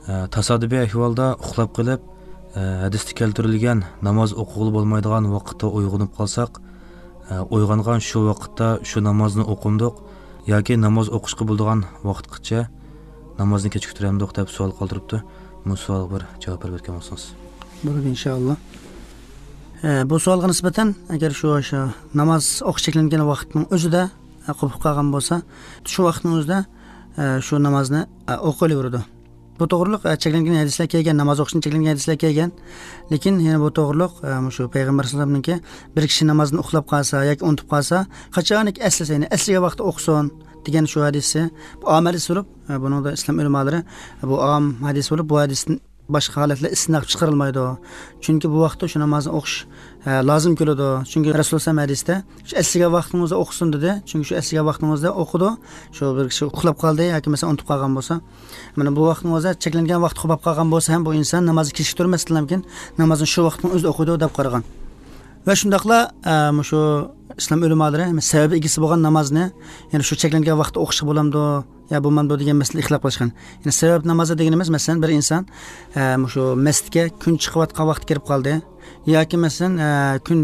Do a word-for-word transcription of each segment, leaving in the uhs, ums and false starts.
Tasodifiy ahvolda uxlab qolib, hadisda keltirilgan namoz o'qig'ili bo'lmaydigan vaqtda uyg'onib qolsak, uyg'ongan shu vaqtda shu namozni o'qimdiq yoki namoz o'qishga bo'ladigan vaqtgacha namozni kechiktiramdiq deb savol qoldiribdi. Bu savolga bir javob berib o'tgan bo'lsangiz. Bo'ladi inshaalloh. Bu savolga nisbatan agar shu o'sha namoz o'qish cheklangan vaqtning o'zida qopib qolgan bo'lsa, shu vaqtning o'zida shu namozni o'qilaveradi. Bu to'g'riliq cheklangan hadislar kelgan, namoz o'qishni cheklangan hadislar kelgan. Lekin yana bu to'g'riliq shu payg'ambar sollallohu alayhi vasallamningki bir kishi namozni uxlab qolsa yoki unutib qolsa, qachoniki eslasa, ya'ni eslagan vaqtda o'qisin degan shu hadisi bu om hadis bo'lib, buni da islom ulamolari bu om hadis bo'lib, bu hadisni boshqa holatlar istisno qilib chiqarilmaydi. Chunki bu vaqtda shu namozni o'qish lozim keladi. Chunki Rasululloh sollallohu alayhi vasallam hadisda shu eslagan vaqtingizda o'qisin dedi. Chunki shu eslagan vaqtingizda o'qidi. Shu bir kishi uxlab qoldi yoki masalan unutib qolgan bo'lsa, mana bu vaqtning o'zida cheklangan vaqt qolib qolgan bo'lsa ham bu inson namozni kechiktirmasdan mumkin, namozni shu vaqtning o'zida o'qidi deb qaragan. Va shundaqla shu islom ulamolari sababi egasi bo'lgan namozni, ya'ni shu cheklangan vaqtda o'qish bo'lamdi ya bo'lmamdi degan masala ixtilof qilishgan. Ya'ni sabab namozi deganimiz, masalan, bir inson shu masjidga kun chiqayotgan vaqt kirib qoldi yoki masalan kun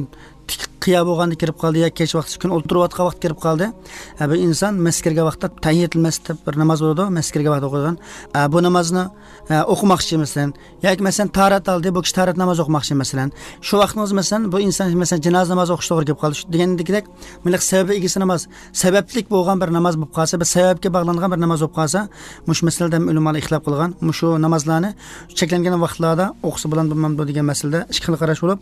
tik qiya bo'lganda kirib qoldi yoki kech vaqt kun o'tirayotgan vaqt kirib qoldi. Bir inson masjidga kirgan vaqtda tahiyatul masjid deb bir namoz bo'ladi, masjidga kirgan vaqtda o'qiydigan. Bu namozni o'qimoqchi masalan, yoki masalan tarat oldi, bu kishi tarat namozi o'qimoqchi masalan. Shu vaqtni o'zi masalan bu inson masalan janoza namozi o'qish to'g'ri kelib qoldi. Shu degandek, mana sababi egasi namoz, sabablik bo'lgan bir namoz bo'lib qolsa, bir sababga bog'langan bir namoz bo'lib qolsa, mush masalada ulamolar ixtilof qilgan. Mushu namozlarni cheklangan vaqtlarda o'qisa bilan bo'lmamdi degan masalada ikki xil qarash bo'lib,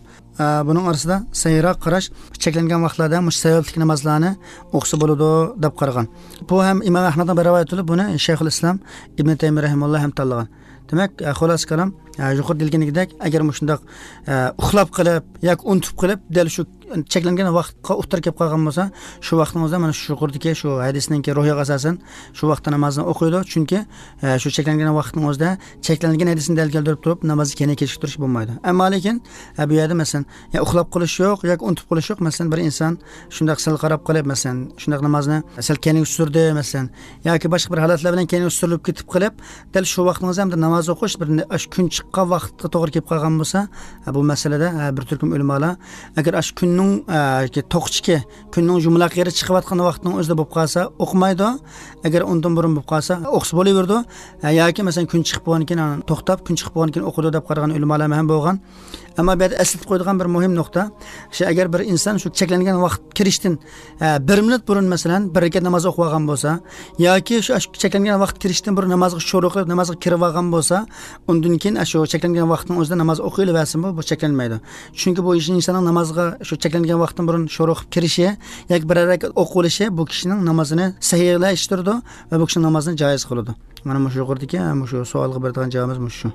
buning orasida sayroq qarash cheklangan vaqtlarda mush sabablik namozlarni o'qisa bo'ladi deb qaragan. Bu ham Imom Ahmaddan bir rivoyat bo'lib, buni Shayxul Islom Ibn Taymiy rahimahulloh ham tanlagan. Demak, xulosa kalom, yuqorida deyilganidek, agar shundoq uxlab qilib yoki unutib qilib dal shu cheklangan vaqtga o'tirib kelib qolgan bo'lsa, shu vaqtning o'zida mana shu yuqoridagi shu hadisninki ruhiga asosan shu vaqtda namozni o'qiydi. Chunki shu cheklangan vaqtning o'zida cheklangan hadisni dalil keltirib turib namozni keyin kechiktirish bo'lmaydi. Ammo lekin bu yerda masalan ya uxlab qolish yo'q yoki unutib qolish yo'q. Masalan bir inson shundoq sal qarab qolib, masalan shundoq namozni sal keyin surdi masalan yoki boshqa bir holatlar bilan keyin surilib ketib qolib, dal shu vaqtning o'zida hamda namoz o'qish bir kun chiqqan vaqtga to'g'ri kelib qolgan bo'lsa, bu masalada bir turkum ulamolar agar ash kunning to'qchiki kunning jumlaq yeri chiqayotgan vaqtning o'zida bo'lib qolsa o'qimaydi, agar undan burun bo'lib qolsa o'qisa bo'laverdi yoki masalan kun chiqib bo'lgandan keyin to'xtab kun chiqib bo'lgandan keyin o'qidi deb qaragan ulamolar ham bo'lgan. Ammo bu yerda eslatib qo'ydigan bir muhim nuqta shu, agar bir inson shu cheklangan vaqt kirishdan bir minut burun masalan bir rakat namoz o'qib olgan bo'lsa yoki shu cheklangan vaqt kirishdan burun namozga shuru qilib namozga kirib olgan bo'lsa, undan keyin shu cheklangan vaqtning o'zida namoz o'qiyversin, bu bu cheklanmaydi. Chunki bu insonning namozga shu cheklangan vaqtdan burun shuru qilib kirishi yoki bir rakat o'qilishi bu kishining namozini sahiylashtirdi va bu kishining namozini joiz qiladi. Mana shu yuqoridagi shu savolga beradigan javobimiz shu.